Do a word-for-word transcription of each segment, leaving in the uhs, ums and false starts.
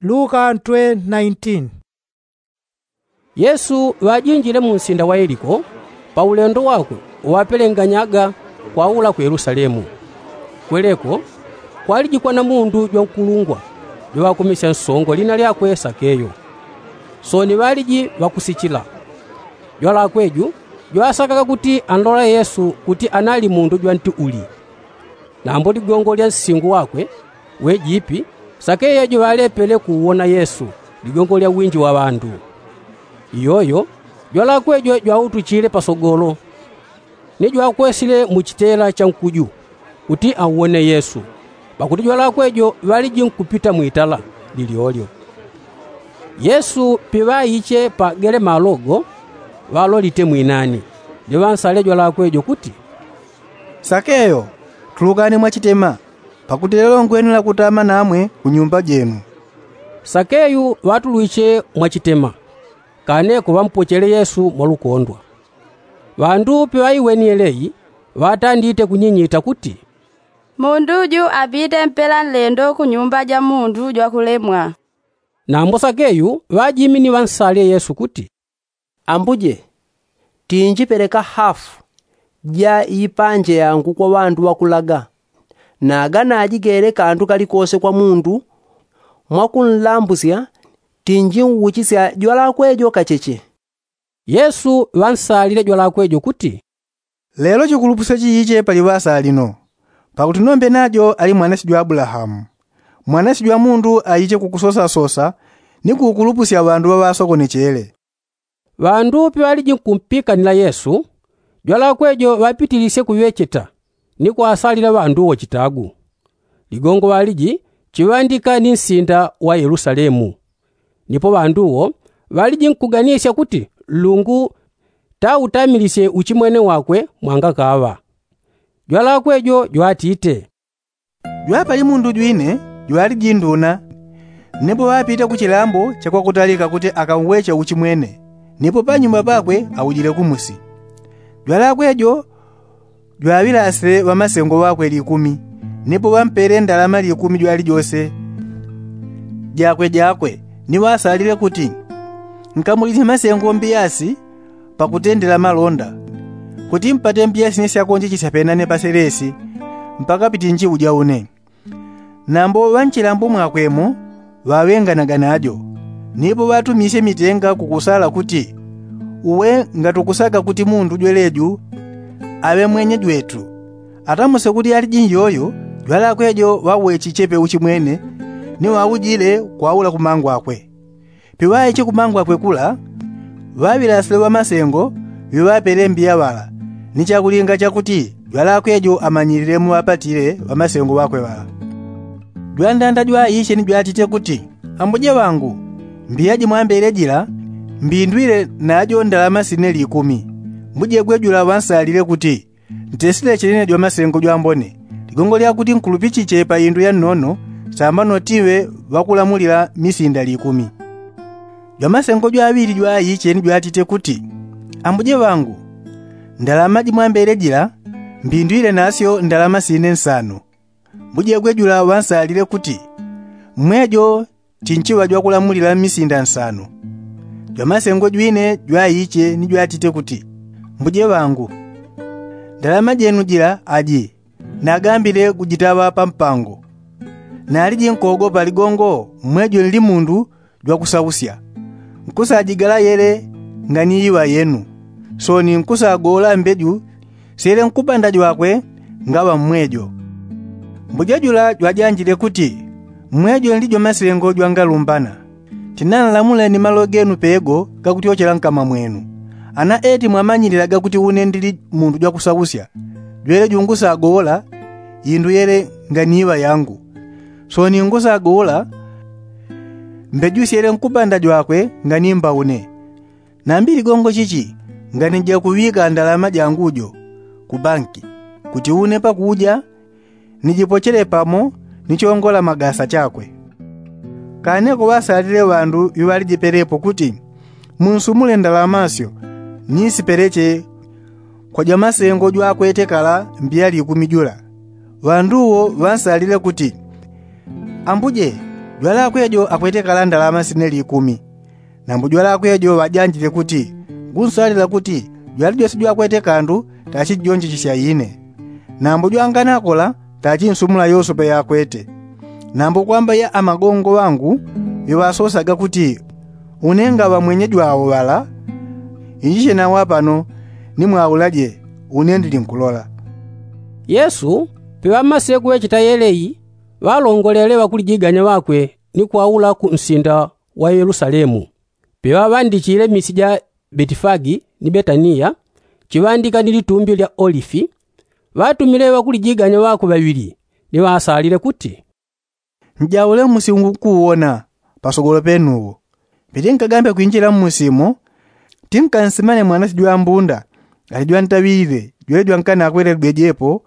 Luka ntwe nineteen. Yesu ŵajinjile mu nsinda wa yeliko, pa ulendo wakwe uŵapelenganyaga kwaula ku yelusalemu. Kweleko kwaliji kwana mundu jwankulungwa, jwaŵakumisya nsongo lina lyakwe sakeyo. Sooni ŵaliji ŵakusichila. Jwalakwe ju jwasakaga kuti anlola yesu kuti anali mundu jwanti uli. Nambo ligongo lya nsingu wakwe wejipi, sakeyo juŵalepele kuuwona yesu ligongo lya winji wa ŵandu. Iyoyo jwalakwe jo jwautuchile pasogolo, ni jwakwesile mu chitela cha nkuju kuti auwone yesu, pakuti jwalakwe jo ŵaliji nkupita mwitala lilyolyo. Yesu piŵaiche pa gele malogo, ŵalolite mwinani, ni ŵansale jwalakwe jo kuti, sakeyo, tulukani mwachitema, pakuti lelo ngwenela kutama namwe ku nyumba jenu. Sakeyu ŵatulwiche mwachitema, kaneko ŵampochele yesu mwalukondwa. Ŵandu piŵaiweni yeleyi, ŵatandite kunyinyita kuti, mundu ju apite mpela nlendo ku nyumba ja mundu jwakulemwa. Nambo sakeyu ŵajimini ŵansale yesu kuti, ambuje, tinjipeleka hafu ja ipanje yangu kwa ŵandu ŵakulaga, naga najigele kandu kalikose kwa mundu mwakunlambusya, tinjiuchisya jwalakwe jo kacheche. Yesu ŵansalile jwalakwe jo kuti, lelo chikulupusyo chiiche pali ŵasalino, pakuti nombe najo ali mwanasyo jwa abulahamu. Mwanasyo jwa mundu aiche kukusosasosa ni kukulupusya ŵandu ŵaŵasokonechele. Ŵandu piŵaliji nkumpikanila yesu, jwalakwe jo ŵapitilisye kuŵecheta ni kwasalila ŵandu wo chitagu. Ligongo ŵaliji chiŵandika ni nsinda wa yelusalemu. Nipo ŵandu wo ŵaliji nkuganisya kuti nlungu tautamilisye uchimwene wakwe mwangakaŵa. Jwalakwe jo jwatite, jwapali mundu jwine jwaliji nduna, nipo ŵapita ku chilambo cha kwakutalika kuti akamweche uchimwene, nipo panyuma pakwe aujile kumusi. Jwalakwe jo jwaŵilasile ŵamasengo ŵakwe likumi, nipo ŵampele ndalama likumi jwalijose jakwe jakwe, ni ŵasalile kuti, nkamulisye masengo mbiyasi pakutendela malonda, kuti mpate mbiyasi ni syakonjechisya penane paselesi mpaka pitinji uja une. Nambo ŵa nchilambo mwakwe mo ŵaŵenganaga najo, nipo ŵatumisye mitenga kukusala kuti, uwe ngatukusaga kuti mundu jweleju aŵe mwenye jwetu. Atamuse kuti aliji njoyo, jwalakwe jo ŵawechichepe uchimwene, ni ŵaujile kwaula kumangwakwe. Piŵaiche kumangwakwe kula, ŵaŵilasile ŵamasengo viŵapele mbiya ŵala, ni chakulinga chakuti jwalakwe jo amanyilile muŵapatile ŵamasengo ŵakwe ŵala. Jwandanda jwaiche ni jwatite kuti, ambuje ŵangu, mbiya jimwambele jila mbindwile najo ndalama sine likumi. Mbuje gwe jula ŵansalile kuti, ntesile chenene jwamasengo jwambone, ligongo lyakuti nkulupichiche pa indu ya nnono, samba notiwe ŵakulamulila misinda likumi. Jwamasengo jwaŵili jwaiche ni jwatite kuti, ambuje ŵangu, ndalama jimwambele jila mbindwile nasyo ndalama sine nsano. Mbuje gwe jula ŵansalile kuti, mmwejo tinchiŵa jwakulamulila misinda nsano. Jwamasengo jwine jwaiche ni jwatite kuti, mbuje ŵangu, ndalama jenu jila aji nagambile kujitaŵa pa mpango. Naliji nkogopa ligongo mmwejo nli mundu jwakusausya, nkusajigala yele ngani iŵa yenu, sooni nkusagola mbeju syele nkupanda jwakwe ngaŵa mmwejo. Mbuje jula jwajanjile kuti, mmwejo nli jwamasengo jwangalumbana. Tinanlamule ni malo genu pego gakutyochela nkama mwenu. Ana eti mwamanyilila gakuti une ndili mundu jwakusausya, jwele jungusagola indu yele ngani iŵa yangu, sooni ngusagola mbeju syele nkupanda jwakwe ngani mba une. Nambi ligongo chichi ngani jakuŵika ndalama jangu jo ku banki, kuti une pakuja nijipochele pamo ni chongola magasa chakwe. Kaneko ŵasalile ŵandu viŵalijipelepo kuti, munsumule ndalama syo nisipeleche kwa jwamasengo jwakwete kala mbiya likumi jula. Ŵandu wo ŵansalile kuti, ambuje, Jwalakwe jo akwete kalanda la masineli ikumi. Nambo jwalakwe jo ŵajanjile kuti, ngunsalila kuti jwali jose jwakwete kandu tachijonjechisya ine. Nambo jwanganakola tachinsumula yosope yakwete. Nambo kwamba ya amagongo ŵangu ŵiŵasosaga kuti, une ngaŵa mwenye jwawo ŵala, injiche nawo apano, nimwaulaje, une ndili nkulola. Yesu piŵamasile kuŵecheta yeleyi, ŵalongolele ŵakulijiganya ŵakwe ni kwaula ku nsinda wa yelusalemu. Piŵaŵandichile misi ja betifagi ni betaniya, chiŵandika ni litumbi lya olifi, ŵatumile ŵakulijiganya ŵakwe ŵaŵili, ni ŵasalile kuti, njaule mmusi ungu nkuwona pasogolo penu uwo. Pitinkagambe kwinjila mmusi mo, tinkansimane mwanache jwa mbunda, ali jwantaŵile jwele jwankanakwele lwejepo,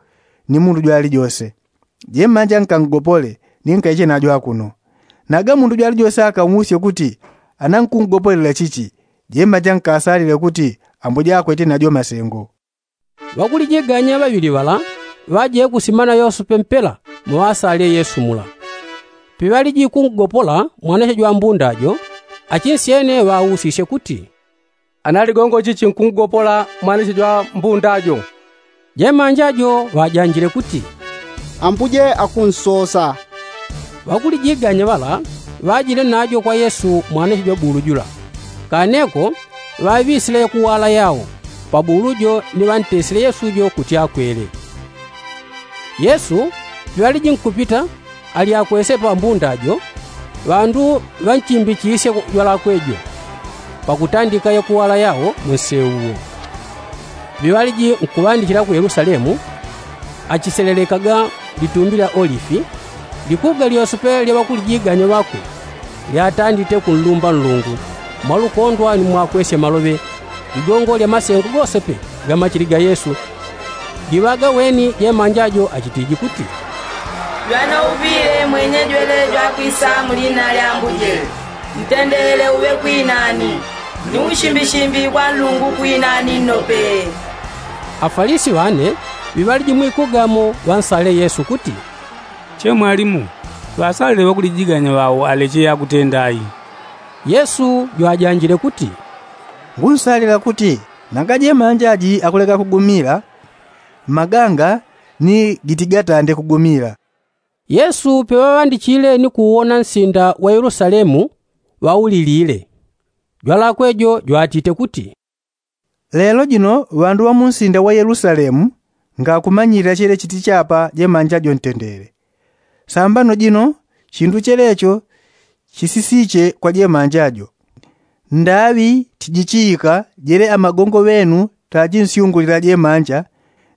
ni mundu jwali jose. Jemanja nkangopole, ni nkaiche najo akuno. Naga mundu jwali jose akamusye kuti, ana nkungopolela chichi? Jemanja nkasalile kuti, ambuja akwete najo masengo. Ŵakulijiganya ŵaŵili ŵala ŵajile kusimana yosope mpela, mwaŵasalile yesu mula. Piŵaliji kungopola mwanache jwa mbunda jo, achinsyene ŵausisye kuti, ana ligongo chichi nkungopola mwanache jwa mbunda jo? Jemanja jo ŵajanjile kuti, ambuje akunsosa. Ŵakulijiganya ŵala ŵajile najo kwa yesu mwanache jwa bulu jula. Kaneko ŵaŵisile yakuwala yao, pa bulu jo ni ŵantesile yesu jo kuti akwele. Yesu piŵaliji nkupita, ali akwese pa mbunda jo, ŵandu ŵanchimbichisye jwalakwe jo, pakutandika yakuwala yao mu nseu wo. Piŵaliji nkuŵandichila ku yelusalemu, achiselelekaga litumbi lya olifi, likuga lyosepe lya ŵakulijiganya ŵakwe, lyatandite kunlumba nlungu, mwalukondwa ni mwakwesya maloŵe, ligongo lya masengo gosepe ga machili ga yesu. Liŵaga weni jemanja jo achitiji kuti, jwanauŵile mwenye jwele jwakwisa mu lina lya ambuje, ntendele uŵe kwinani, ni ushimbishi mbi bwa nlungu kwinani nnope. Afalisi ŵane ŵiŵaliji mwikugamo ŵansalile yesu kuti, che mwalimu, ŵasalile ŵakulijiganya ŵao aleche yakutenda ayi. Yesu jwajanjile kuti, ngunsalila kuti nanga jemanja aji akuleka kugumila, maganga ni gitigatande kugumila. Yesu piŵaŵandichile ni kuwona nsinda wa yelusalemu, ŵaulilile. Jwalakwe jo jwatite kuti, lelo jino ŵandu ŵa mu nsinda wa yelusalemu ngakumanyilila chele chitichapa jemanja jo ntendele. Sambano jino chindu chelecho chisisiche kwa jemanja jo. Ndaŵi tijichiika jele amagongo ŵenu tachinsyungulila jemanja,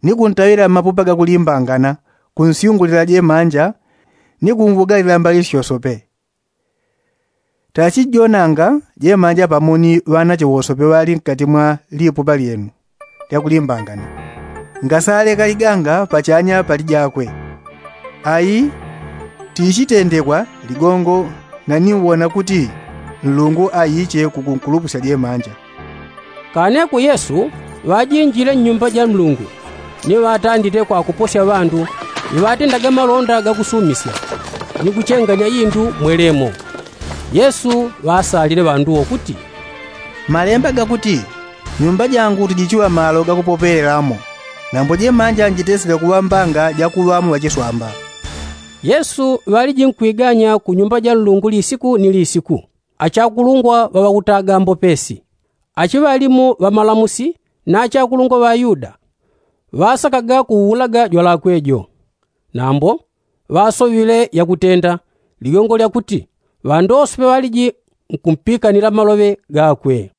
ni kuntaŵila mmapupa gakulimbangana, kunsyungulila jemanja, ni kumbugalila mbali syosope. Tachijonanga jemanja pamo ni ŵanache wosope ŵali nkati mwa lipupa lyenu lyakulimbangana, ngasaleka liganga pachanya pali jakwe. Ayi tichitendekwa ligongo, naniwona kuti nlungu aiche kukunkulupusya jemanja. Kaneko yesu ŵajinjile nnyumba ja nlungu, ni ŵatandite kwakuposya ŵandu, ni ŵatendaga malonda gakusumisya, ni kuchenganya indu mwelemo. Yesu ŵaasalile ŵandu wo kuti, malemba gakuti, nyumba jangu tijichiŵa malo gakupopelelamo, nambo jemanja njitesile kuŵa mbanga jakuŵamo ŵachiswamba. Yesu ŵaliji nkwiganya ku nyumba ja nlungu lisiku ni lisiku, achakulungwa ŵa ŵakutaga mbopesi, achiŵalimu ŵamalamusi, na achakulungwa ŵa ayuda, ŵasakaga kuulaga jwalakwe jo. Nambo ŵasoŵile yakutenda, ligongo lyakuti ŵandu wosepe ŵaliji nkumpikanila maloŵe gakwe.